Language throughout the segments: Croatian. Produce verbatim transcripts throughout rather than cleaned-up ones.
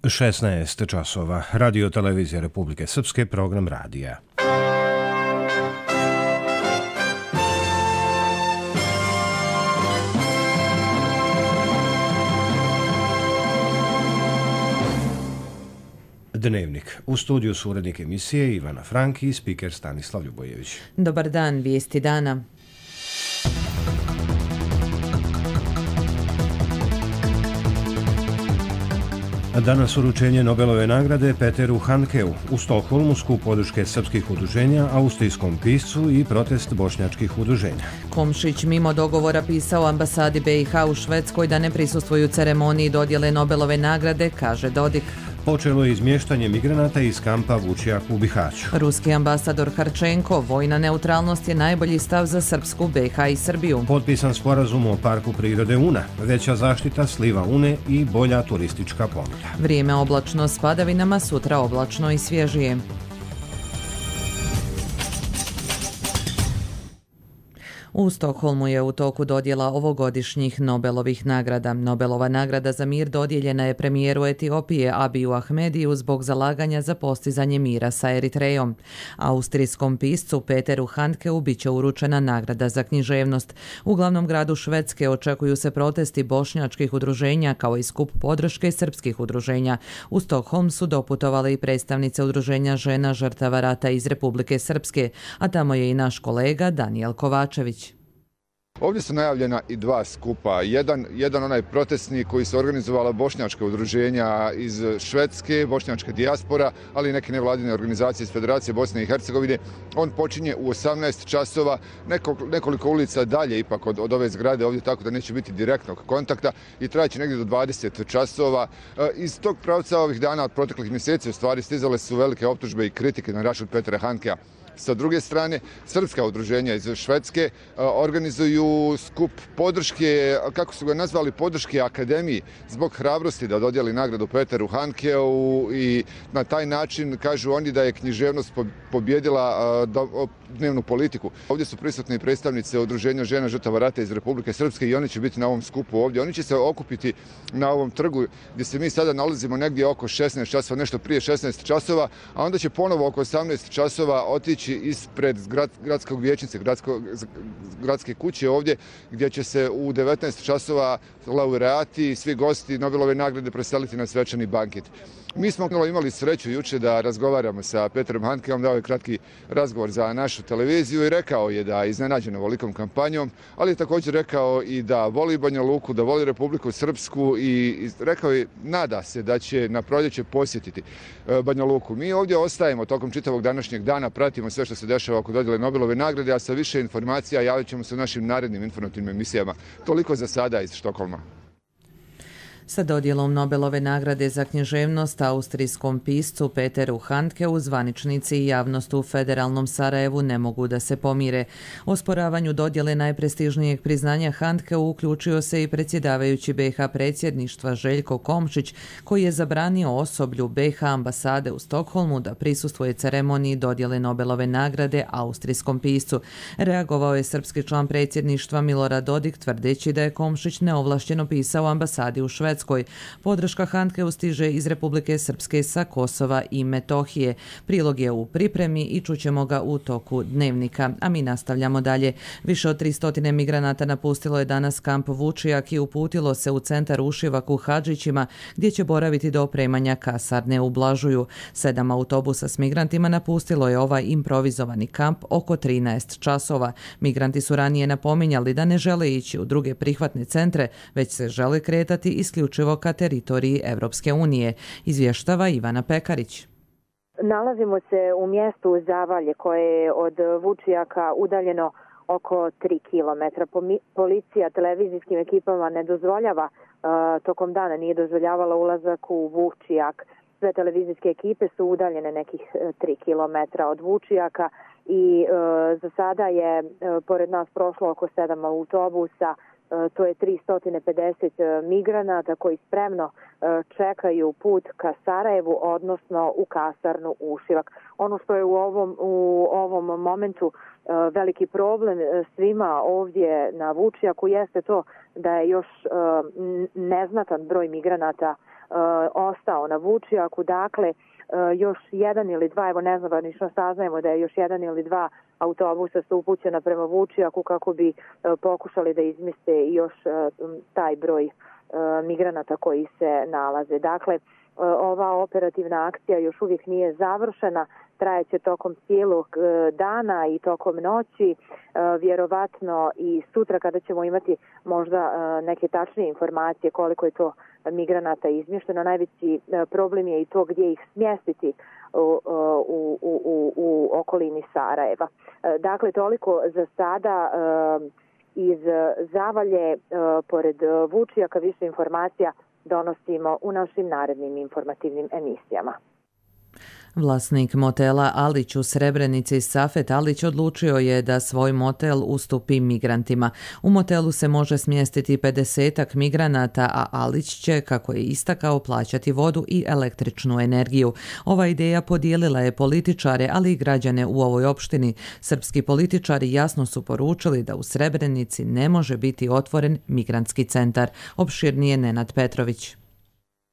šesnaest časova. Radio televizija Republike Srpske, program radija. Dnevnik. U studiju su urednik emisije Ivana Franki i spiker Stanislav Ljubojević. Dobar dan, vijesti dana. Danas uručenje Nobelove nagrade Peteru Handkeu. U Stokholmu skup podrške srpskih udruženja, austrijskom piscu i protest bošnjačkih udruženja. Komšić mimo dogovora pisao ambasadi B i H u Švedskoj da ne prisustvuju ceremoniji dodjele Nobelove nagrade, kaže Dodik. Počelo je izmještanje migranata iz kampa Vučjak u Bihaću. Ruski ambasador Harčenko, vojna neutralnost je najbolji stav za Srpsku, B i H i Srbiju. Potpisan sporazum o parku prirode Una, veća zaštita sliva Une i bolja turistička ponuda. Vrijeme oblačno s padavinama, sutra oblačno i svježije. U Stokholmu je u toku dodjela ovogodišnjih Nobelovih nagrada. Nobelova nagrada za mir dodijeljena je premijeru Etiopije Abiju Ahmediju zbog zalaganja za postizanje mira sa Eritrejom. Austrijskom piscu Peteru Handkeu bit će uručena nagrada za književnost. U glavnom gradu Švedske očekuju se protesti bošnjačkih udruženja kao i skup podrške srpskih udruženja. U Stokholm su doputovale i predstavnice udruženja žena žrtava rata iz Republike Srpske, a tamo je i naš kolega Danijel Kovačević. Ovdje su najavljena i dva skupa. Jedan, jedan onaj protestni koji su organizovala bošnjačka udruženja iz Švedske, bošnjačka dijaspora, ali i neke nevladine organizacije iz Federacije Bosne i Hercegovine. On počinje u osamnaest časova, neko, nekoliko ulica dalje ipak od, od ove zgrade ovdje, tako da neće biti direktnog kontakta i trajaće negdje do dvadeset časova. Iz tog pravca ovih dana od proteklih mjeseci u stvari stizale su velike optužbe i kritike na račun Petera Handkea. Sa druge strane, srpska udruženja iz Švedske organizuju skup podrške, kako su ga nazvali, podrške akademiji zbog hrabrosti da dodijeli nagradu Peteru Handkeu i na taj način kažu oni da je književnost pobjedila dnevnu politiku. Ovdje su prisutni predstavnice udruženja žena žrtava rata iz Republike Srpske i oni će biti na ovom skupu ovdje. Oni će se okupiti na ovom trgu gdje se mi sada nalazimo negdje oko šesnaest časova, nešto prije šesnaest časova, a onda će ponovo oko osamnaest časova otići ispred grad, gradskog vijećnice, gradsko, gradske kuće ovdje, gdje će se u devetnaest časova laureati i svi gosti Nobelove nagrade preseliti na svečani banket. Mi smo imali sreću juče da razgovaramo sa Peterom Handkeom, dao je kratki razgovor za našu televiziju i rekao je da je iznenađen ovolikom kampanjom, ali je također rekao i da voli Banja Luku, da voli Republiku Srpsku i rekao je, nada se da će na proljeće posjetiti Banja Luku. Mi ovdje ostajemo tokom čitavog današnjeg dana, pratimo sve što se dešava oko dodjele Nobelove nagrade, a sa više informacija javit ćemo se u našim narednim informativnim emisijama. Toliko za sada iz Štokholma. Sa dodjelom Nobelove nagrade za književnost austrijskom piscu Peteru Handkeu zvaničnici i javnost u federalnom Sarajevu ne mogu da se pomire. Osporavanju dodjele najprestižnijeg priznanja Handkeu uključio se i predsjedavajući B i H predsjedništva Željko Komšić, koji je zabranio osoblju B i H ambasade u Stokholmu da prisustvuje ceremoniji dodjele Nobelove nagrade austrijskom piscu. Reagovao je srpski član predsjedništva Milorad Dodik tvrdeći da je Komšić neovlašteno pisao ambasadi u Švedskoj. Podrška Handkeu stiže iz Republike Srpske sa Kosova i Metohije. Prilog je u pripremi i čućemo ga u toku dnevnika. A mi nastavljamo dalje. Više od tristo migranata napustilo je danas kamp Vučjak i uputilo se u centar Ušivak u Hadžićima, gdje će boraviti do opremanja kasarne u Blažuju. Sedam autobusa s migrantima napustilo je ovaj improvizovani kamp oko trinaest časova. Migranti su ranije napominjali da ne žele ići u druge prihvatne centre, već se žele kretati isključivo ka teritoriji Evropske unije, izvještava Ivana Pekarić. Nalazimo se u mjestu Zavalje koje je od Vučjaka udaljeno oko tri kilometra. Policija televizijskim ekipama ne dozvoljava, tokom dana nije dozvoljavala ulazak u Vučjak. Sve televizijske ekipe su udaljene nekih tri kilometra od Vučjaka i za sada je pored nas prošlo oko sedam autobusa. To je tristo pedeset migranata koji spremno čekaju put ka Sarajevu, odnosno u kasarnu Ušivak. Ono što je u ovom, u ovom momentu veliki problem svima ovdje na Vučjaku jeste to da je još neznatan broj migranata ostao na Vučjaku. Dakle, još jedan ili dva, evo nezvanično saznajemo da je još jedan ili dva autobusa su upućena prema Vučjaku kako bi pokušali da izmiste još taj broj migranata koji se nalaze. Dakle, ova operativna akcija još uvijek nije završena, trajeće tokom cijelog dana i tokom noći, vjerovatno i sutra kada ćemo imati možda neke tačnije informacije koliko je to migranata izmješteno. Najveći problem je i to gdje ih smjestiti u, u, u, u okolini Sarajeva. Dakle, toliko za sada iz Zavalje, pored Vučjaka. Više informacija donosimo u našim narednim informativnim emisijama. Vlasnik motela Alić u Srebrenici Safet Alić odlučio je da svoj motel ustupi migrantima. U motelu se može smjestiti pedesetak migranata, a Alić će, kako je istakao, plaćati vodu i električnu energiju. Ova ideja podijelila je političare, ali i građane u ovoj opštini. Srpski političari jasno su poručili da u Srebrenici ne može biti otvoren migrantski centar. Opširnije Nenad Petrović.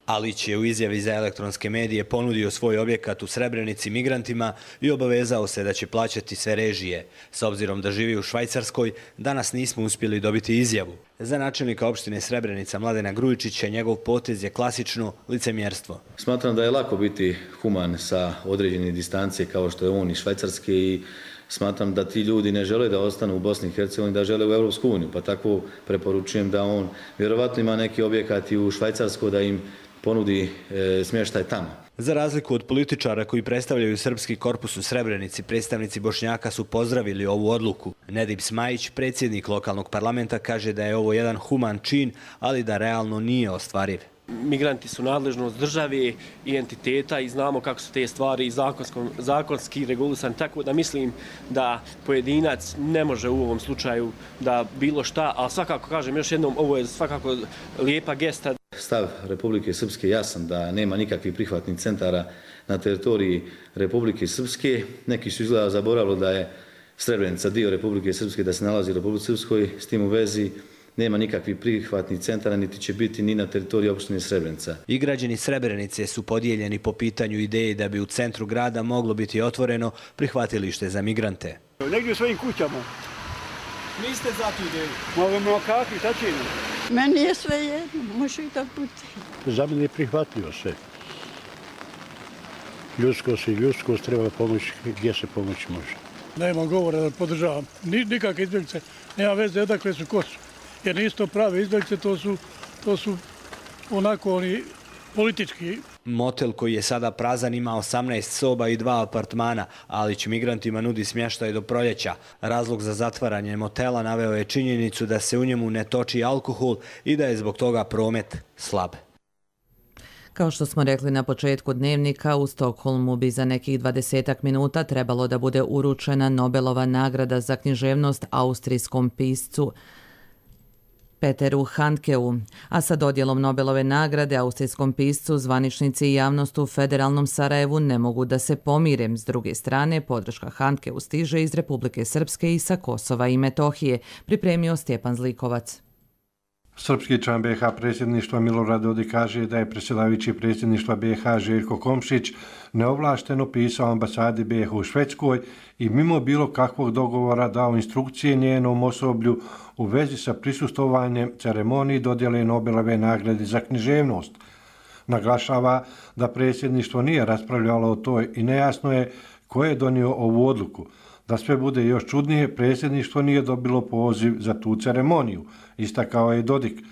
Alić je u izjavi za elektronske medije ponudio svoj objekat u Srebrenici migrantima i obavezao se da će plaćati sve režije. S obzirom da živi u Švajcarskoj, danas nismo uspjeli dobiti izjavu. Za načelnika opštine Srebrenica Mladena Grujičića njegov potez je klasično licemjerstvo. Smatram da je lako biti human sa određene distancije kao što je on iz Švajcarske i smatram da ti ljudi ne žele da ostanu u Bosni i Hercegovini, da žele u Europsku uniju, pa tako preporučujem da on vjerovatno ima neki objekat i u Švajcarskoj da im ponudi e, smještaj tamo. Za razliku od političara koji predstavljaju Srpski korpus u Srebrenici, predstavnici Bošnjaka su pozdravili ovu odluku. Nedib Smajić, predsjednik lokalnog parlamenta, kaže da je ovo jedan human čin, ali da realno nije ostvariv. Migranti su nadležnost države i entiteta i znamo kako su te stvari zakonski regulisane, tako da mislim da pojedinac ne može u ovom slučaju da bilo šta, ali svakako kažem još jednom, ovo je svakako lijepa gesta. Stav Republike Srpske jasan da nema nikakvih prihvatnih centara na teritoriji Republike Srpske. Neki su izgleda zaboravili da je Srebrenica dio Republike Srpske, da se nalazi u Republike Srpskoj, s tim u vezi nema nikakvih prihvatnih centara, niti će biti ni na teritoriji opštine Srebrenica. I građani Srebrenice su podijeljeni po pitanju ideje da bi u centru grada moglo biti otvoreno prihvatilište za migrante. Negdje u svojim kućama. Niste za tu ideju? Možemo kakvi, šta će? Meni je sve jedno, može i tako biti. Za mene je prihvatljivo sve. Ljudskost i ljudskost treba pomoći gdje se pomoći može. Nema govora da podržavam. Nikakve izbjeglice, nema veze odakle su ko su. Jer nisu to prave izbjeglice, to su, to su onako oni politički. Motel koji je sada prazan ima osamnaest soba i dva apartmana, ali će migrantima nudi smještaj do proljeća. Razlog za zatvaranje motela naveo je činjenicu da se u njemu ne toči alkohol i da je zbog toga promet slab. Kao što smo rekli na početku dnevnika, u Stokholmu bi za nekih dvadesetak minuta trebalo da bude uručena Nobelova nagrada za književnost austrijskom piscu Peteru Handkeu, a sa dodjelom Nobelove nagrade austrijskom piscu zvaničnici i javnost u federalnom Sarajevu ne mogu da se pomire. S druge strane, podrška Handkeu stiže iz Republike Srpske i sa Kosova i Metohije, pripremio Stjepan Zlikovac. Srpski član B i H predsjedništva Milorad Dodik kaže da je predsjedavajući predsjedništva B i H Željko Komšić neovlašteno pisao ambasadi B i H u Švedskoj i mimo bilo kakvog dogovora dao instrukcije njenom osoblju u vezi sa prisustvovanjem ceremoniji dodjele Nobelove nagrade za književnost. Naglašava da predsjedništvo nije raspravljalo o toj i nejasno je ko je donio ovu odluku. Da sve bude još čudnije, predsjedništvo nije dobilo poziv za tu ceremoniju, istakao je Dodik.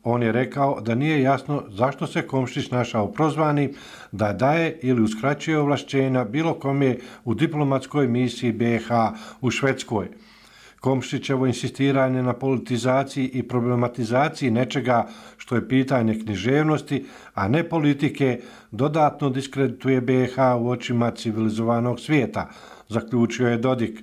On je rekao da nije jasno zašto se Komšić našao prozvani da daje ili uskraćuje ovlašćenja bilo kome u diplomatskoj misiji B i H u Švedskoj. Komšićevo insistiranje na politizaciji i problematizaciji nečega što je pitanje književnosti, a ne politike, dodatno diskredituje B i H u očima civilizovanog svijeta, zaključio je Dodik.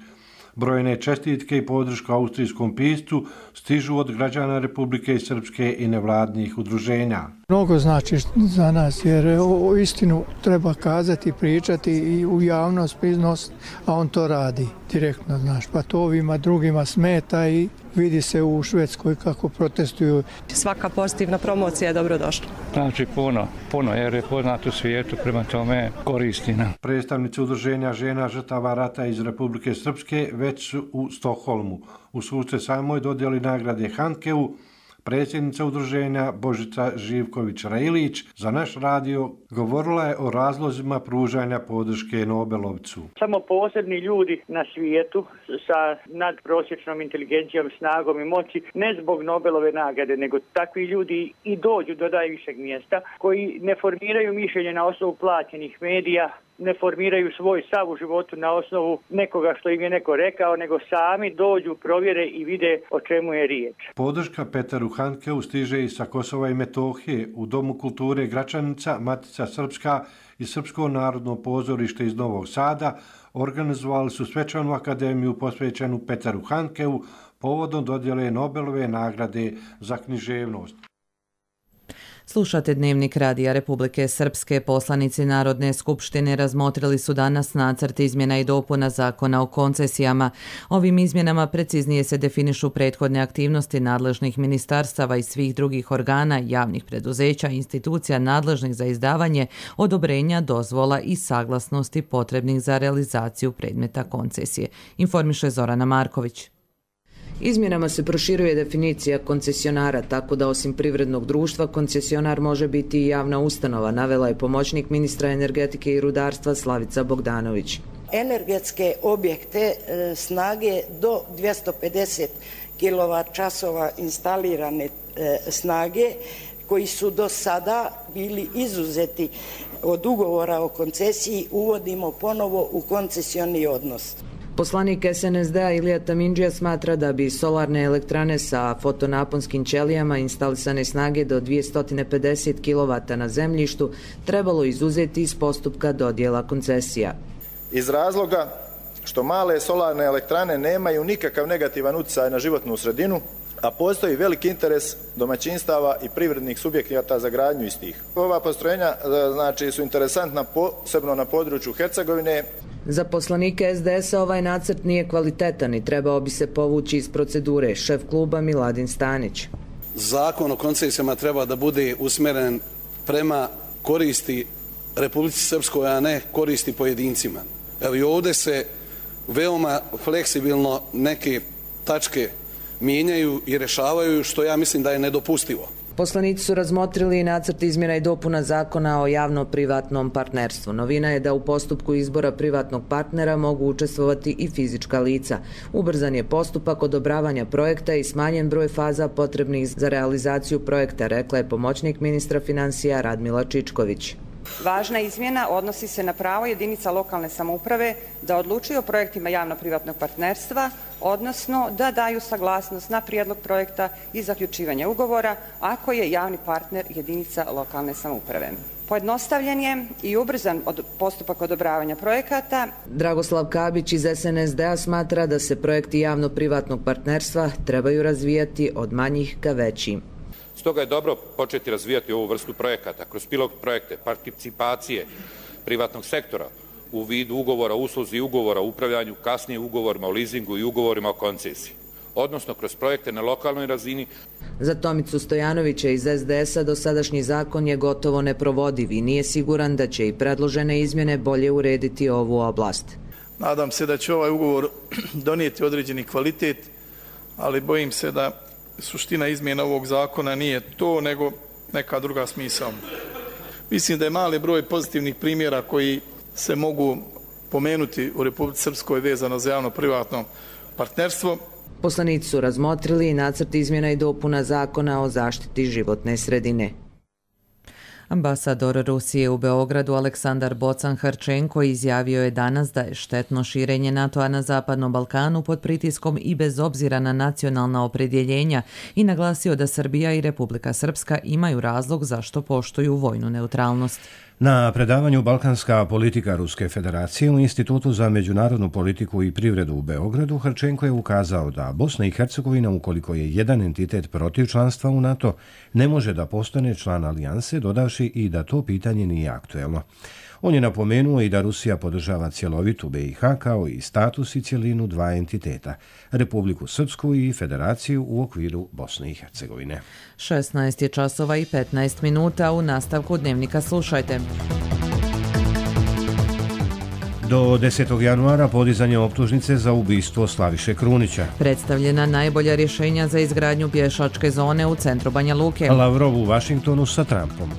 Brojne čestitke i podrška austrijskom piscu stižu od građana Republike Srpske i nevladnih udruženja. Mnogo znači za nas jer o istinu treba kazati, pričati i u javnost iznos, a on to radi direktno, znaš, pa to ovima drugima smeta i vidi se u Švedskoj kako protestuju. Svaka pozitivna promocija je dobrodošla. Znači puno, puno jer je poznat u svijetu, prema tome koristi nam. Predstavnici udruženja žena žrtava rata iz Republike Srpske već su u Stokholmu. U susret samoj dodjeli nagrade Handkeu predsjednica udruženja Božica Živković-Rajilić za naš radio govorila je o razlozima pružanja podrške Nobelovcu. Samo posebni ljudi na svijetu sa nadprosječnom inteligencijom, snagom i moći, ne zbog Nobelove nagrade, nego takvi ljudi i dođu do najvišeg mjesta, koji ne formiraju mišljenje na osnovu plaćenih medija, ne formiraju svoj stav u životu na osnovu nekoga što im je neko rekao, nego sami dođu, provjere i vide o čemu je riječ. Podrška Peteru Handkeu stiže i sa Kosova i Metohije. U Domu kulture Gračanica, Matica Srpska i Srpsko narodno pozorište iz Novog Sada organizovali su svečanu akademiju posvećenu Peteru Handkeu povodom dodjele Nobelove nagrade za književnost. Slušate Dnevnik Radija Republike Srpske. Poslanici Narodne skupštine razmotrili su danas nacrt izmjena i dopuna Zakona o koncesijama. Ovim izmjenama preciznije se definišu prethodne aktivnosti nadležnih ministarstava i svih drugih organa, javnih preduzeća i institucija nadležnih za izdavanje odobrenja, dozvola i saglasnosti potrebnih za realizaciju predmeta koncesije, informiše Zorana Marković. Izmjenama se proširuje definicija koncesionara, tako da osim privrednog društva, koncesionar može biti i javna ustanova, navela je pomoćnik ministra energetike i rudarstva Slavica Bogdanović. Energetske objekte snage do dvjesto pedeset kilovat časova instalirane snage, koji su do sada bili izuzeti od ugovora o koncesiji, uvodimo ponovo u koncesioni odnos. Poslanik S N S D-a Ilija Tamindžija smatra da bi solarne elektrane sa fotonaponskim ćelijama instalisane snage do dvjesto pedeset kilovata na zemljištu trebalo izuzeti iz postupka dodjela koncesija. Iz razloga što male solarne elektrane nemaju nikakav negativan utjecaj na životnu sredinu, a postoji veliki interes domaćinstava i privrednih subjekata za gradnju istih. Ova postrojenja znači, su interesantna posebno na području Hercegovine. Za poslanike S D S-a ovaj nacrt nije kvalitetan i trebao bi se povući iz procedure, šef kluba Miladin Stanić. Zakon o koncesijama treba da bude usmjeren prema koristi Republici Srpskoj, a ne koristi pojedincima. Evo i ovdje se veoma fleksibilno neke tačke mijenjaju i rješavaju, što ja mislim da je nedopustivo. Poslanici su razmotrili i nacrt izmjena i dopuna Zakona o javno-privatnom partnerstvu. Novina je da u postupku izbora privatnog partnera mogu učestvovati i fizička lica. Ubrzan je postupak odobravanja projekta i smanjen broj faza potrebnih za realizaciju projekta, rekla je pomoćnik ministra financija Radmila Čičković. Važna izmjena odnosi se na pravo jedinica lokalne samouprave da odlučuju o projektima javno-privatnog partnerstva, odnosno da daju saglasnost na prijedlog projekta i zaključivanje ugovora ako je javni partner jedinica lokalne samouprave. Pojednostavljen je i ubrzan od postupak odobravanja projekata. Dragoslav Kabić iz S N S D-a smatra da se projekti javno-privatnog partnerstva trebaju razvijati od manjih ka većim. Stoga je dobro početi razvijati ovu vrstu projekata kroz pilot projekte, participacije privatnog sektora u vidu ugovora o usluzi i ugovora o upravljanju, kasnije ugovorima o leasingu i ugovorima o koncesiji, odnosno kroz projekte na lokalnoj razini. Za Tomicu Stojanovića iz S D S-a dosadašnji zakon je gotovo neprovodiv i nije siguran da će i predložene izmjene bolje urediti ovu oblast. Nadam se da će ovaj ugovor donijeti određeni kvalitet, ali bojim se da suština izmjena ovog zakona nije to, nego neka druga smisao. Mislim da je mali broj pozitivnih primjera koji se mogu pomenuti u Republici Srpskoj vezano za javno-privatno partnerstvo. Poslanici su razmotrili i nacrt izmjena i dopuna Zakona o zaštiti životne sredine. Ambasador Rusije u Beogradu Aleksandar Bocan-Harčenko izjavio je danas da je štetno širenje NATO-a na Zapadnom Balkanu pod pritiskom i bez obzira na nacionalna opredjeljenja i naglasio da Srbija i Republika Srpska imaju razlog zašto poštuju vojnu neutralnost. Na predavanju Balkanska politika Ruske federacije u Institutu za međunarodnu politiku i privredu u Beogradu Hrčenko je ukazao da Bosna i Hercegovina, ukoliko je jedan entitet protiv članstva u NATO, ne može da postane član alijanse, dodavši i da to pitanje nije aktuelno. On je napomenuo i da Rusija podržava cjelovitu B i H kao i status i cjelinu dva entiteta, Republiku Srpsku i Federaciju u okviru Bosne i Hercegovine. šesnaest je časova i petnaest minuta, u nastavku dnevnika slušajte. Do desetog januara podizanje optužnice za ubistvo Slaviše Krunića. Predstavljena najbolja rješenja za izgradnju pješačke zone u centru Banja Luke. Lavrov u Vašingtonu sa Trumpom.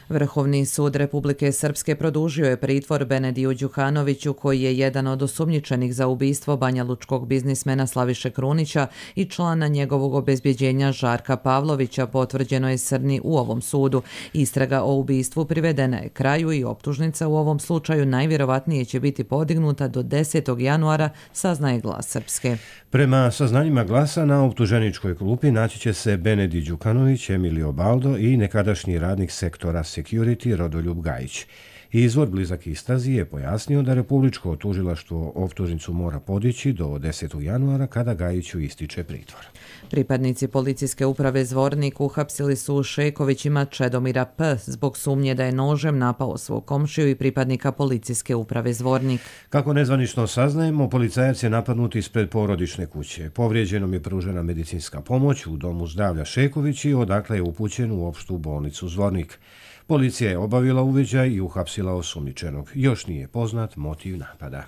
Vrhovni sud Republike Srpske produžio je pritvor Benediju Đukanoviću, koji je jedan od osumnjičenih za ubistvo banjalučkog biznismena Slaviše Krunića i člana njegovog obezbjeđenja Žarka Pavlovića, potvrđeno je Srni u ovom sudu. Istraga o ubistvu privedena je kraju i optužnica u ovom slučaju najvjerovatnije će biti podignuta do desetog januara, saznaje Glas Srpske. Prema saznanjima Glasa, na optuženičkoj klupi naći će se Benedi Đukanović, Emilio Baldo i nekadašnji radnik sektora Security Rodoljub Gajić. Izvor blizak istrazi je pojasnio da Republičko tužilaštvo optužnicu mora podići do desetog januara kada Gajiću ističe pritvor. Pripadnici policijske uprave Zvornik uhapsili su Šekovićima Čedomira P. zbog sumnje da je nožem napao svog komšiju i pripadnika policijske uprave Zvornik. Kako nezvanično saznajemo, policajac je napadnut ispred porodične kuće. Povrijeđenom je pružena medicinska pomoć u domu zdravlja Šeković i odakle je upućen u opštu bolnicu Zvornik. Policija je obavila uviđaj i uhapsila osumnjičenog. Još nije poznat motiv napada.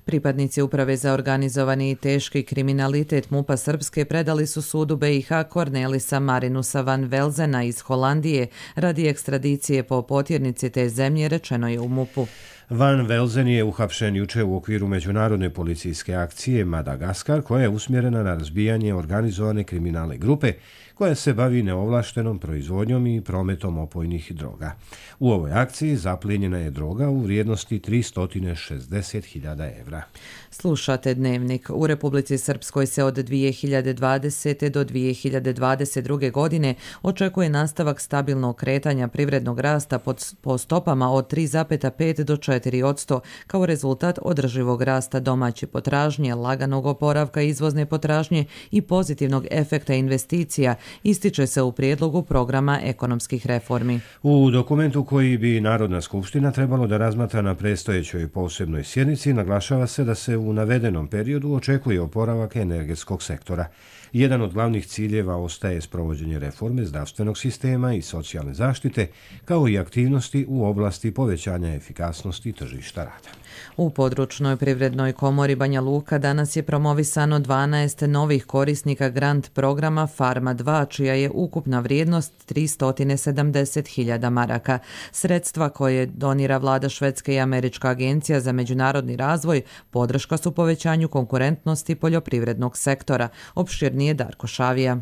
Pripadnici Uprave za organizovani i teški kriminalitet MUP-a Srpske predali su sudu B i H Cornelisa Marinusa van Velzena iz Holandije radi ekstradicije po potjernici te zemlje, rečeno je u MUP-u. Van Velzen je uhapšen juče u okviru međunarodne policijske akcije Madagaskar, koja je usmjerena na razbijanje organizovane kriminalne grupe koja se bavi neovlaštenom proizvodnjom i prometom opojnih droga. U ovoj akciji zaplijenjena je droga u vrijednosti tristo šezdeset hiljada evra. Slušate Dnevnik. U Republici Srpskoj se od dvije hiljade dvadesete. do dvije hiljade dvadeset druge. godine očekuje nastavak stabilnog kretanja privrednog rasta pod, po stopama od tri zarez pet do četiri posto kao rezultat održivog rasta domaće potražnje, laganog oporavka izvozne potražnje i pozitivnog efekta investicija, ističe se u prijedlogu programa ekonomskih reformi. U dokumentu koji bi Narodna skupština trebalo da razmatra na predstojećoj posebnoj sjednici naglašava se da se u navedenom periodu očekuje oporavak energetskog sektora. Jedan od glavnih ciljeva ostaje sprovođenje reforme zdravstvenog sistema i socijalne zaštite, kao i aktivnosti u oblasti povećanja efikasnosti tržišta rada. U područnoj privrednoj komori Banja Luka danas je promovisano dvanaest novih korisnika grant programa Farma dva, čija je ukupna vrijednost tristo sedamdeset hiljada maraka. Sredstva koje donira vlada Švedske i Američka agencija za međunarodni razvoj podrška su povećanju konkurentnosti poljoprivrednog sektora, opširnije Darko Šavija.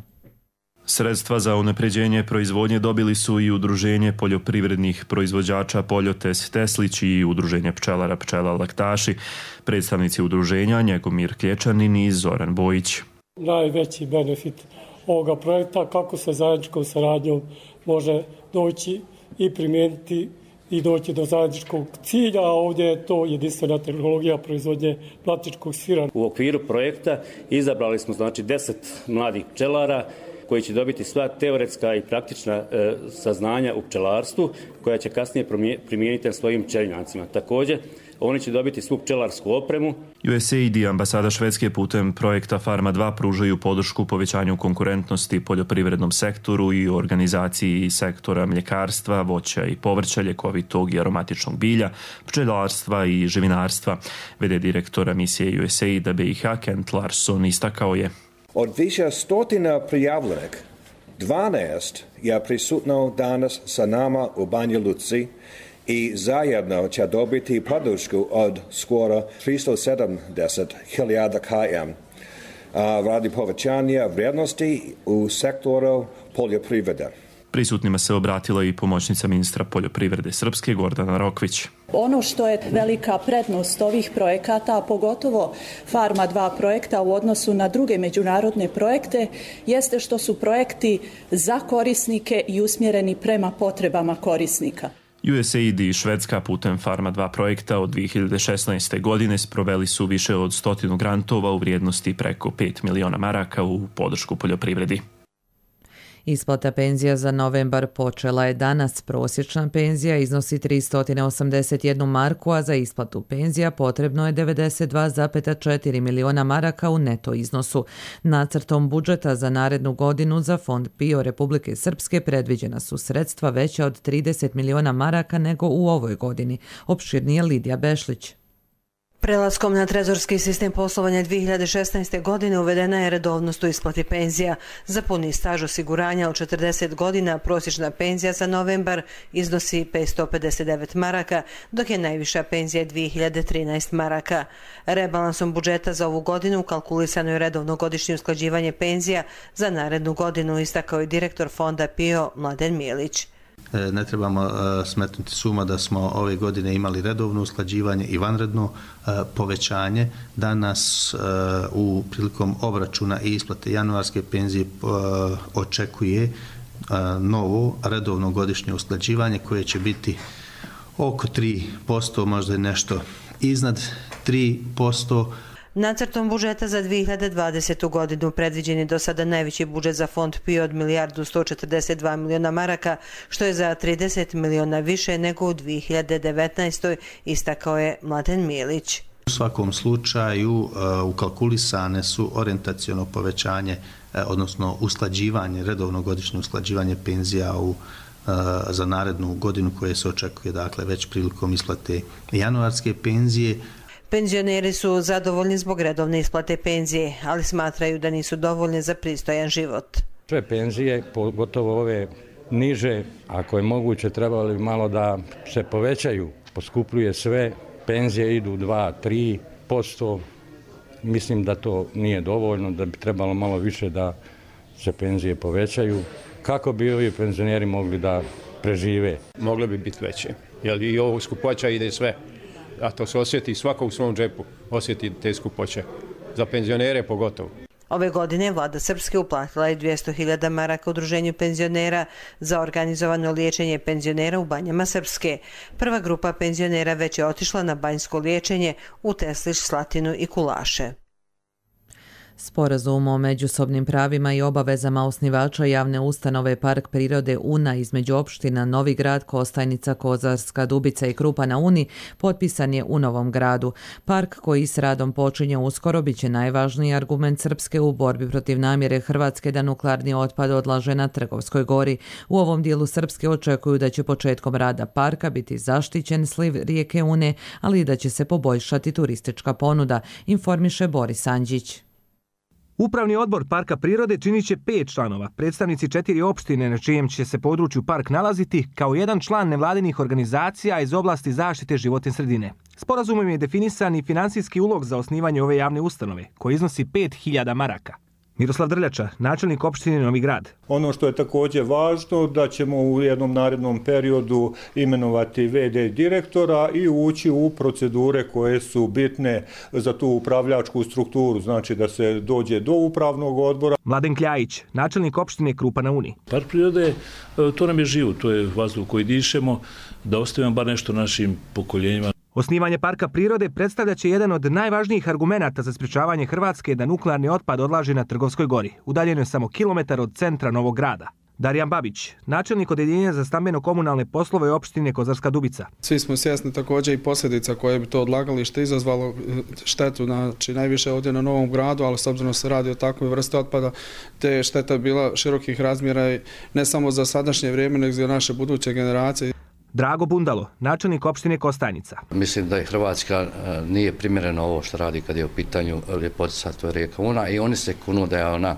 Sredstva za unapređenje proizvodnje dobili su i Udruženje poljoprivrednih proizvođača Poljotes Teslić i Udruženje pčelara Pčela Laktaši. Predstavnici udruženja Njegomir Klječanin i Zoran Bojić. Najveći benefit ovoga projekta, kako se zajedničkom saradnjom može doći i primijeniti i doći do zajedničkog cilja, a ovdje je to jedinstvena tehnologija proizvodnje mlatičkog sira. U okviru projekta izabrali smo znači deset mladih pčelara koji će dobiti sva teoretska i praktična e, saznanja u pčelarstvu, koja će kasnije primijeniti na svojim pčelinjacima. Također, oni će dobiti svu pčelarsku opremu. U S A I D i ambasada Švedske putem projekta Farma dva pružaju podršku povećanju konkurentnosti poljoprivrednom sektoru i organizaciji sektora mljekarstva, voća i povrća, ljekovitog i aromatičnog bilja, pčelarstva i živinarstva. V D direktora misije U S A I D B i H Kent Larsson istakao je: Od više stotina prijavljenih, dvanaest je prisutno danas sa nama u Banja Luci i zajedno će dobiti podršku od skoro tristo sedamdeset hiljada km radi povećanja vrijednosti u sektoru poljoprivrede. Prisutnima se obratila i pomoćnica ministra poljoprivrede Srpske Gordana Rokvić. Ono što je velika prednost ovih projekata, a pogotovo Farma dva projekta u odnosu na druge međunarodne projekte, jeste što su projekti za korisnike i usmjereni prema potrebama korisnika. U S A I D i Švedska putem Farma dva projekta od dvije hiljade šesnaeste. godine sproveli su više od stotinu grantova u vrijednosti preko pet miliona maraka u podršku poljoprivredi. Isplata penzija za novembar počela je danas. Prosječna penzija iznosi tristo osamdeset jednu marku, a za isplatu penzija potrebno je devedeset dva zarez četiri miliona maraka u neto iznosu. Nacrtom budžeta za narednu godinu za Fond P I O Republike Srpske predviđena su sredstva veća od trideset miliona maraka nego u ovoj godini. Opširnije Lidija Bešlić. Prelaskom na trezorski sistem poslovanja dvije hiljade šesnaeste. godine uvedena je redovnost u isplati penzija. Za puni staž osiguranja od četrdeset godina prosječna penzija za novembar iznosi petsto pedeset devet maraka, dok je najviša penzija dvije hiljade trinaeste. maraka. Rebalansom budžeta za ovu godinu kalkulisano je redovno godišnje usklađivanje penzija za narednu godinu, istakao je direktor Fonda P I O Mladen Mijelić. Ne trebamo smetnuti suma da smo ove godine imali redovno usklađivanje i vanredno povećanje. Danas u prilikom obračuna i isplate januarske penzije očekuje novo redovno godišnje usklađivanje koje će biti oko tri posto, možda je nešto iznad tri posto. Nacrtom budžeta za dvije hiljade dvadesetu. godinu predviđen je do sada najveći budžet za Fond P I O od milijardu sto četrdeset dva miliona maraka, što je za trideset miliona više nego u dvije hiljade devetnaestoj. istakao je Mladen Mijelić. U svakom slučaju ukalkulisane su orijentaciono povećanje, odnosno usklađivanje, redovno godišnje usklađivanje penzija u za narednu godinu koje se očekuje, dakle, već prilikom isplate januarske penzije. Penzioneri su zadovoljni zbog redovne isplate penzije, ali smatraju da nisu dovoljne za pristojan život. Sve penzije, pogotovo ove niže, ako je moguće, trebali malo da se povećaju. Poskupljuje sve, penzije idu dva do tri posto. Mislim da to nije dovoljno, da bi trebalo malo više da se penzije povećaju. Kako bi ovi penzioneri mogli da prežive? Mogle bi biti veće, jer i ovo skupoća ide sve. A to se osjeti svako u svom džepu, osjeti te skupoće. Za penzionere pogotovo. Ove godine vlada Srpske uplatila je dvjesto hiljada maraka udruženju penzionera za organizovano liječenje penzionera u Banjama Srpske. Prva grupa penzionera već je otišla na banjsko liječenje u Teslić, Slatinu i Kulaše. Sporazum o međusobnim pravima i obavezama osnivača javne ustanove Park prirode Una između opština Novi Grad, Kostajnica, Kozarska Dubica i Krupa na Uni potpisan je u Novom Gradu. Park koji s radom počinje uskoro bit će najvažniji argument Srpske u borbi protiv namjere Hrvatske da nuklearni otpad odlaže na Trgovskoj gori. U ovom dijelu Srpske očekuju da će početkom rada parka biti zaštićen sliv rijeke Une, ali i da će se poboljšati turistička ponuda, informiše Boris Anđić. Upravni odbor Parka prirode činit će pet članova, predstavnici četiri opštine na čijem će se području park nalaziti, kao jedan član nevladinih organizacija iz oblasti zaštite životne sredine. Sporazumom je definisan i finansijski ulog za osnivanje ove javne ustanove, koji iznosi pet hiljada maraka. Miroslav Drljača, načelnik opštine Novi Grad. Ono što je također važno, da ćemo u jednom narednom periodu imenovati ve de direktora i ući u procedure koje su bitne za tu upravljačku strukturu, znači da se dođe do upravnog odbora. Mladen Kljajić, načelnik opštine Krupa na Uni. Park prirode, to nam je život, to je vazduh koji dišemo, da ostavimo bar nešto našim pokoljenjima. Osnivanje Parka prirode predstavlja će jedan od najvažnijih argumenata za sprječavanje Hrvatske da nuklearni otpad odlaže na Trgovskoj gori, udaljeno je samo kilometar od centra Novog Grada. Darijan Babić, načelnik odeljenja za stambeno-komunalne poslove opštine Kozarska Dubica. Svi smo svjesni također i posljedica koje bi to odlagalište izazvalo štetu, znači najviše ovdje na Novom Gradu, ali s obzirom se radi o takvoj vrsti otpada, te šteta bila širokih razmjera ne samo za sadašnje vrijeme, nego za naše buduće generacije. Drago Bundalo, načelnik opštine Kostajnica. Mislim da je Hrvatska nije primjereno ovo što radi kad je u pitanju ljepotica, to je rijeka Una, i oni se kunu da je ona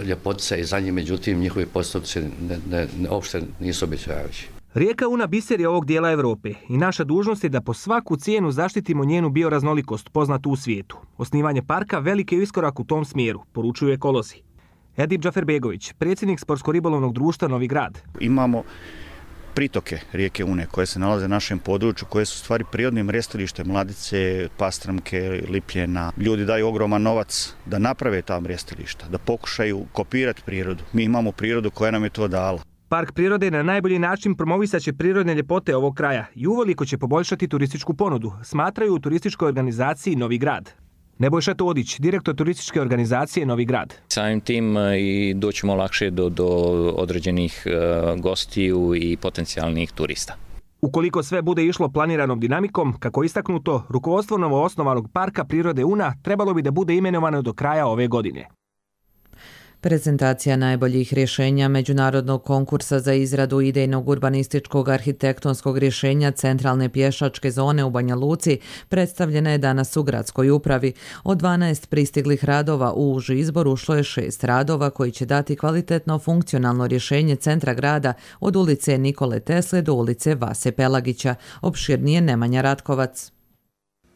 ljepotica i za njih, međutim njihovi postupci ne, ne, ne, uopšte nisu obećavajući. Rijeka Una biser je ovog dijela Evrope i naša dužnost je da po svaku cijenu zaštitimo njenu bioraznolikost poznatu u svijetu. Osnivanje parka veliki je iskorak u tom smjeru, poručuju ekolozi. Edip Džaferbegović, predsjednik Sportsko-ribolovnog društva Novi Grad. Imamo pritoke rijeke Une koje se nalaze na našem području, koje su stvari prirodnim mrjestilištem, Mladice, Pastramke, Lipljena. Ljudi daju ogroman novac da naprave ta mrjestilišta, da pokušaju kopirati prirodu. Mi imamo prirodu koja nam je to dala. Park prirode na najbolji način promovisat će prirodne ljepote ovog kraja i uveliko će poboljšati turističku ponudu, smatraju u turističkoj organizaciji Novi Grad. Nebojša Todić, direktor turističke organizacije Novi Grad. Samim tim i doćemo lakše do, do određenih uh, gostiju i potencijalnih turista. Ukoliko sve bude išlo planiranom dinamikom, kako je istaknuto, rukovodstvo novoosnovanog Parka prirode Una trebalo bi da bude imenovano do kraja ove godine. Prezentacija najboljih rješenja međunarodnog konkursa za izradu idejnog urbanističkog arhitektonskog rješenja centralne pješačke zone u Banja Luci predstavljena je danas u gradskoj upravi. Od dvanaest pristiglih radova u uži izbor ušlo je šest radova koji će dati kvalitetno funkcionalno rješenje centra grada od ulice Nikole Tesle do ulice Vase Pelagića. Opširnije Nemanja Ratkovac.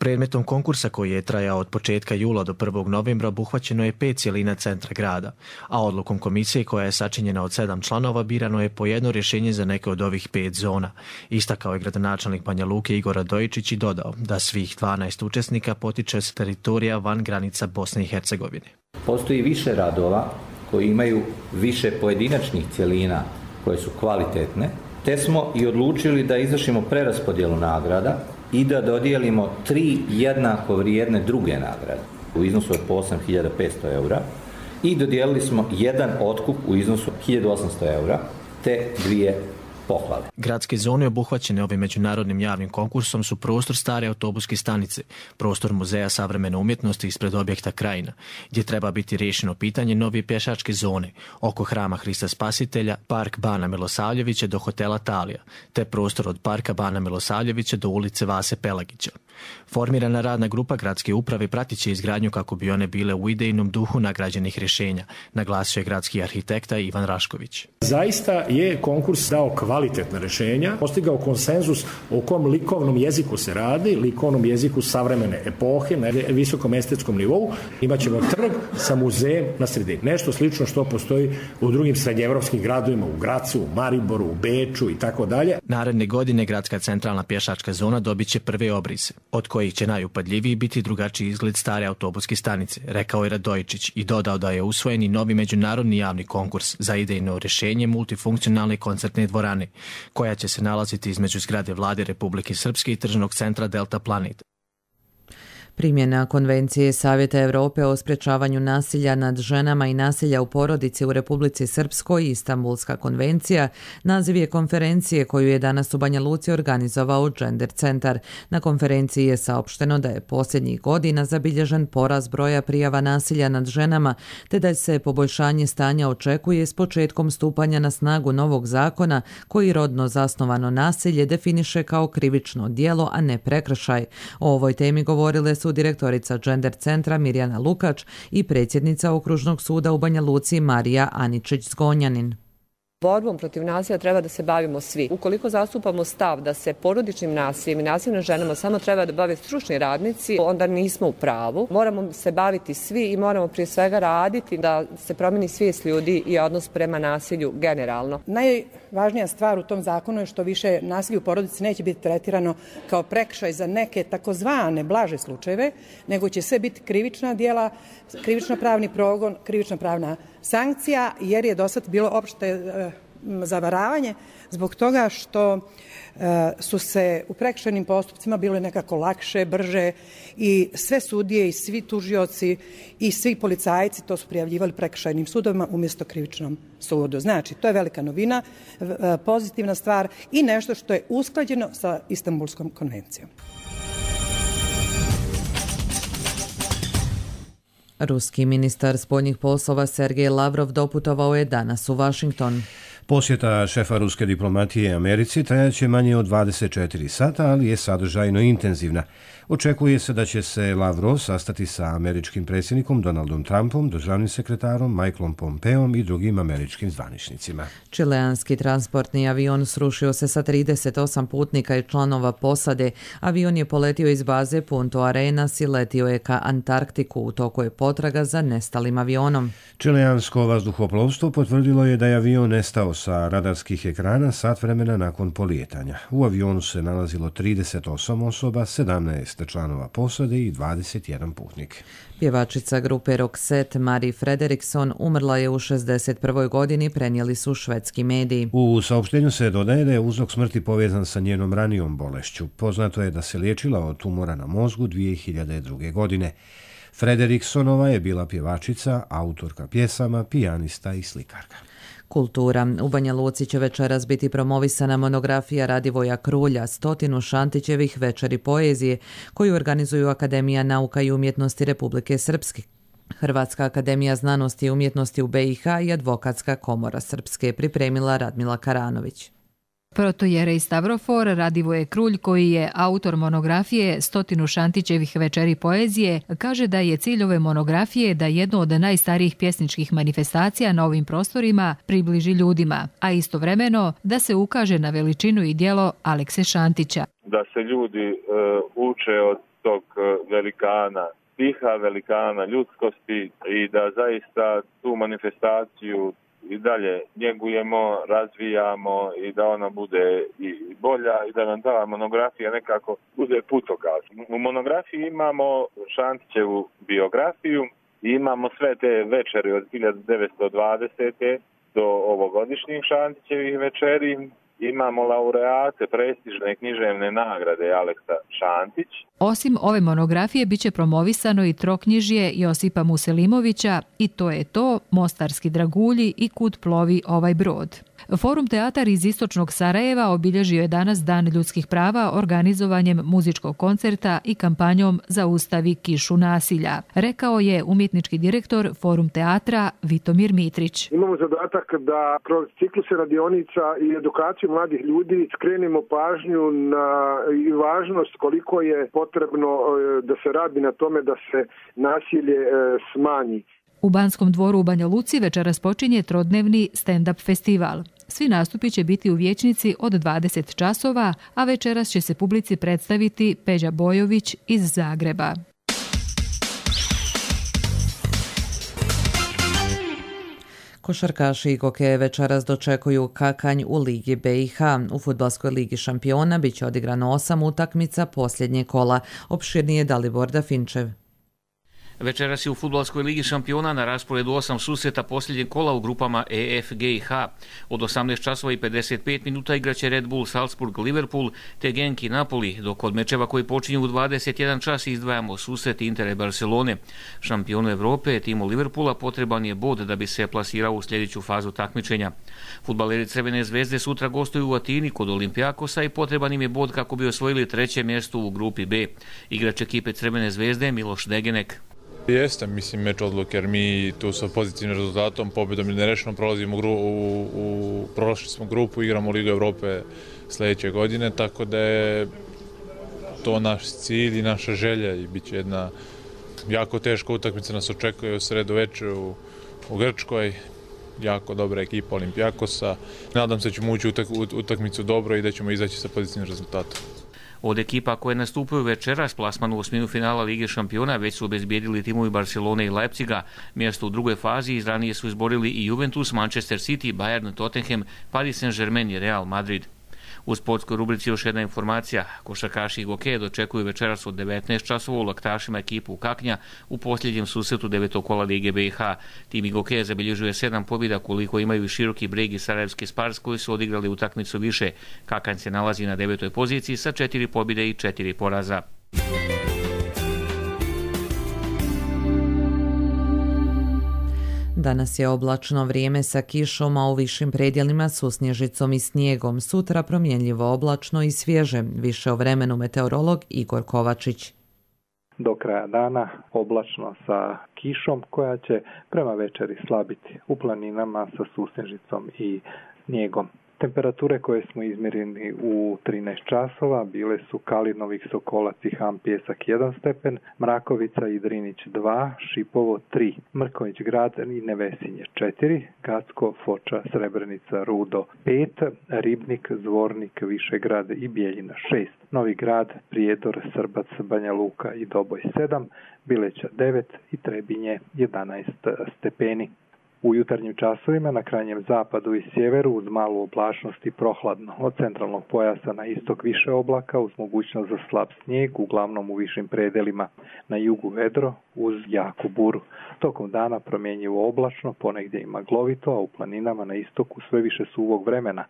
Predmetom konkursa koji je trajao od početka jula do prvog novembra obuhvaćeno je pet cjelina centra grada, a odlukom komisije koja je sačinjena od sedam članova birano je po jedno rješenje za neke od ovih pet zona. Istakao je gradonačelnik Banja Luke Igor Radojičić i dodao da svih dvanaest učesnika potiče s teritorija van granica Bosne i Hercegovine. Postoji više radova koji imaju više pojedinačnih cjelina koje su kvalitetne, te smo i odlučili da izvršimo preraspodjelu nagrada i da dodijelimo tri jednako vrijedne druge nagrade u iznosu od po osam hiljada petsto eura i dodijelili smo jedan otkup u iznosu hiljadu osamsto eura te dvije pohvale. Gradske zone obuhvaćene ovim međunarodnim javnim konkursom su prostor stare autobuske stanice, prostor Muzeja savremene umjetnosti ispred objekta Krajina, gdje treba biti riješeno pitanje nove pješačke zone, oko hrama Hrista Spasitelja, park Bana Milosavljevića do hotela Talija, te prostor od parka Bana Milosavljevića do ulice Vase Pelagića. Formirana radna grupa gradske uprave pratit će izgradnju kako bi one bile u idejnom duhu nagrađenih rješenja, naglasio je gradski arhitekta Ivan Rašković. Zaista je konkurs dao kvalitetna rješenja, postigao konsenzus o kom likovnom jeziku se radi, likovnom jeziku savremene epohe na visokom estetskom nivou. Imaćemo trg sa muzejem na sredini. Nešto slično što postoji u drugim srednjeevropskim gradovima, u Gracu, u Mariboru, u Beču i tako dalje. Naredne godine gradska centralna pješačka zona dobit će prve obrise, od kojih će najupadljiviji biti drugačiji izgled stare autobuske stanice, rekao je Radojičić i dodao da je usvojen i novi međunarodni javni konkurs za idejno rješenje multifunkcionalne koncertne dvorane, koja će se nalaziti između zgrade Vlade Republike Srpske i tržnog centra Delta Planet. Primjena Konvencije Savjeta Europe o sprječavanju nasilja nad ženama i nasilja u porodici u Republici Srpskoj i Istanbulska konvencija naziv je konferencije koju je danas u Banja Luci organizovao Gender centar. Na konferenciji je saopšteno da je posljednjih godina zabilježen porast broja prijava nasilja nad ženama, te da se poboljšanje stanja očekuje s početkom stupanja na snagu novog zakona koji rodno zasnovano nasilje definiše kao krivično djelo, a ne prekršaj. O ovoj temi govorile su direktorica Gender centra Mirjana Lukač i predsjednica Okružnog suda u Banja Luci Marija Aničić-Zgonjanin. Borbom protiv nasilja treba da se bavimo svi. Ukoliko zastupamo stav da se porodičnim nasiljem i nasiljem nad ženama samo treba da bave stručni radnici, onda nismo u pravu. Moramo se baviti svi i moramo prije svega raditi da se promijeni svijest ljudi i odnos prema nasilju generalno. Najvažnija stvar u tom zakonu je što više nasilje u porodici neće biti tretirano kao prekršaj za neke takozvane blaže slučajeve, nego će sve biti krivična djela, krivično pravni progon, krivično pravna sankcija, jer je do sad bilo opšte zavaravanje zbog toga što su se u prekršajnim postupcima bile nekako lakše, brže i sve sudije i svi tužioci i svi policajci to su prijavljivali prekršajnim sudovima umjesto krivičnom sudu. Znači, to je velika novina, pozitivna stvar i nešto što je usklađeno sa Istanbulskom konvencijom. Ruski ministar spoljnih poslova Sergej Lavrov doputovao je danas u Washington. Posjeta šefa ruske diplomatije Americi trajaće manje od dvadeset četiri sata, ali je sadržajno intenzivna. Očekuje se da će se Lavrov sastati sa američkim predsjednikom Donaldom Trumpom, državnim sekretarom Michaelom Pompeom i drugim američkim zvaničnicima. Čileanski transportni avion srušio se sa trideset osam putnika i članova posade. Avion je poletio iz baze Punto Arenas i letio je ka Antarktiku. U toku je potraga za nestalim avionom. Čileansko vazduhoplovstvo potvrdilo je da je avion nestao sa radarskih ekrana sat vremena nakon polijetanja. U avionu se nalazilo trideset osam osoba, sedamnaest članova posade i dvadeset jedan putnik. Pjevačica grupe Roxette Marie Frederikson umrla je u šezdeset prvoj godini, prenijeli su švedski mediji. U saopštenju se dodaje da je uzrok smrti povezan sa njenom ranijom bolešću. Poznato je da se liječila od tumora na mozgu dvije hiljade druge. godine. Frederiksonova je bila pjevačica, autorka pjesama, pijanista i slikarka. Kultura. U Banja Luci će večeras biti promovisana monografija Radivoja Krulja, stotinu Šantićevih večeri poezije, koju organizuju Akademija nauka i umjetnosti Republike Srpske, Hrvatska akademija znanosti i umjetnosti u B i H i Advokatska komora Srpske, pripremila Radmila Karanović. Protojerej Stavrofor Radivoje Krulj, koji je autor monografije Stotinu Šantićevih večeri poezije, kaže da je cilj ove monografije da jedno od najstarijih pjesničkih manifestacija na ovim prostorima približi ljudima, a istovremeno da se ukaže na veličinu i djelo Alekse Šantića. Da se ljudi uh, uče od tog velikana stiha, velikana ljudskosti i da zaista tu manifestaciju i dalje njegujemo, razvijamo i da ona bude i bolja i da nam ta monografija nekako bude putokaz. U monografiji imamo Šantićevu biografiju i imamo sve te večeri od hiljadu devetsto dvadesete do ovogodišnjih Šantićevih večeri. Imamo laureate prestižne književne nagrade Aleksa Šantić. Osim ove monografije biće promovisano i troknjižje Josipa Muselimovića i To je to, Mostarski dragulji i Kud plovi ovaj brod. Forum teatar iz istočnog Sarajeva obilježio je danas Dan ljudskih prava organizovanjem muzičkog koncerta i kampanjom Zaustavi kišu nasilja, rekao je umjetnički direktor Forum teatra Vitomir Mitrić. Imamo zadatak da kroz cikluse radionica i edukaciju mladih ljudi skrenemo pažnju na i važnost koliko je potrebno da se radi na tome da se nasilje smanji. U Banskom dvoru u Banja Luci večeras počinje trodnevni stand-up festival. Svi nastupi će biti u vijećnici od dvadeset časova, a večeras će se publici predstaviti Peđa Bojović iz Zagreba. Košarkaši i kokeje večeras dočekuju Kakanj u Ligi B i H. U Fudbalskoj ligi šampiona biće odigrano osam utakmica posljednje kola. Opširnije Dalibor Dafinčev. Večeras je u Fudbalskoj ligi šampiona na rasporedu osam susreta posljednjeg kola u grupama E, F, G i H. Od osamnaest časova i pedeset pet minuta igraće Red Bull Salzburg Liverpool te Genk i Napoli, dok od mečeva koji počinju u dvadeset jedan čas izdvajamo susret Intera i Barcelone. Šampionu Evrope, timu Liverpoola, potreban je bod da bi se plasirao u sljedeću fazu takmičenja. Fudbaleri Crvene zvezde sutra gostuju u Atini kod Olimpijakosa i potreban im je bod kako bi osvojili treće mjesto u grupi B. Igrač ekipe Crvene zvezde Miloš Degenek. Jeste, mislim, meč odluke, jer mi tu sa pozitivnim rezultatom, pobjedom i nerešeno prolazimo u, u, u prošli smo grupu, igramo Ligu Evrope sljedeće godine, tako da je to naš cilj i naša želja i bit će jedna jako teška utakmica nas očekuje u sredu večer u, u Grčkoj, jako dobra ekipa Olimpijakosa. Nadam se da ćemo ući u utakmicu dobro i da ćemo izaći sa pozitivnim rezultatom. Od ekipa koje nastupaju večeras plasman u osminu finala Lige šampiona već su obezbijedili timovi Barcelone i Leipziga. Mjesto u drugoj fazi izranije su izborili i Juventus, Manchester City, Bayern, Tottenham, Paris Saint-Germain i Real Madrid. U sportskoj rubrici još jedna informacija. Košarkaši i hokeje dočekuju večeras od devetnaest časova u Laktašima ekipu Kaknja u posljednjem susretu devetog kola Lige B i H. Tim i hokeja zabilježuje sedam pobjeda koliko imaju i Široki Breg i Sarajevski Spars koji su odigrali utakmicu više. Kakanj se nalazi na devetoj poziciji sa četiri pobjede i četiri poraza. Danas je oblačno vrijeme sa kišom, a u višim predjelima su snježicom i snijegom. Sutra promjenljivo oblačno i svježe. Više o vremenu meteorolog Igor Kovačić. Do kraja dana oblačno sa kišom koja će prema večeri slabiti u planinama sa susnježicom i snijegom. Temperature koje smo izmjerili u trinaest časova bile su Kalinovih, Sokolac i Ham Pjesak jedan stepen, Mrakovica i Drinić dva, Šipovo tri, Mrković Grad i Nevesinje četiri, Gacko, Foča, Srebrenica, Rudo pet, Ribnik, Zvornik, Višegrad i Bijeljina šest, Novi Grad, Prijedor, Srbac, Banja Luka i Doboj sedam, Bileća devet i Trebinje jedanaest stepeni. U jutarnjim časovima na krajnjem zapadu i sjeveru uz malu oblačnost i prohladno. Od centralnog pojasa na istok više oblaka uz mogućnost za slab snijeg, uglavnom u višim predelima. Na jugu vedro uz jaku buru. Tokom dana promjenjivo oblačno, ponegdje i maglovito, a u planinama na istoku sve više suvog vremena.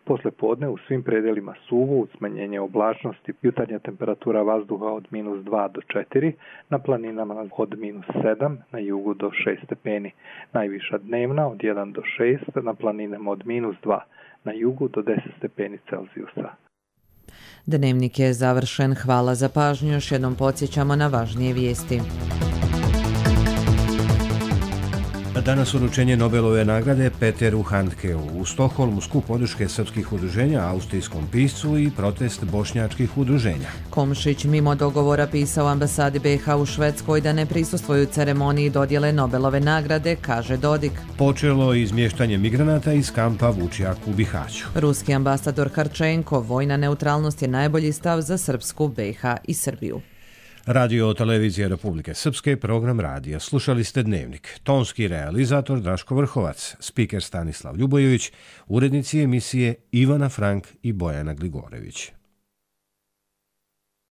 Posle podne u svim predelima suvo uz smanjenje oblačnosti, jutarnja temperatura vazduha od minus dva do četiri, na planinama od minus sedam, na jugu do šest stepeni. Najviša dnevna od jedan do šest, na planinama od minus dva, na jugu do deset stepeni Celzijusa. Dnevnik je završen. Hvala za pažnju. Još jednom podsjećamo na važnije vijesti. Danas uručenje Nobelove nagrade Peteru Handkeu. U Stokholmu skup podrške srpskih udruženja austrijskom piscu i protest bošnjačkih udruženja. Komšić mimo dogovora pisao ambasadi B iH u Švedskoj da ne prisustvuju ceremoniji dodjele Nobelove nagrade, kaže Dodik. Počelo izmještanje migranata iz kampa Vučjak u Bihaću. Ruski ambasador Harčenko, vojna neutralnost je najbolji stav za Srpsku, B iH i Srbiju. Radio Televizija Republike Srpske, program radija. Slušali ste Dnevnik. Tonski realizator Draško Vrhovac, spiker Stanislav Ljubojević, urednici emisije Ivana Frank i Bojana Gligorević.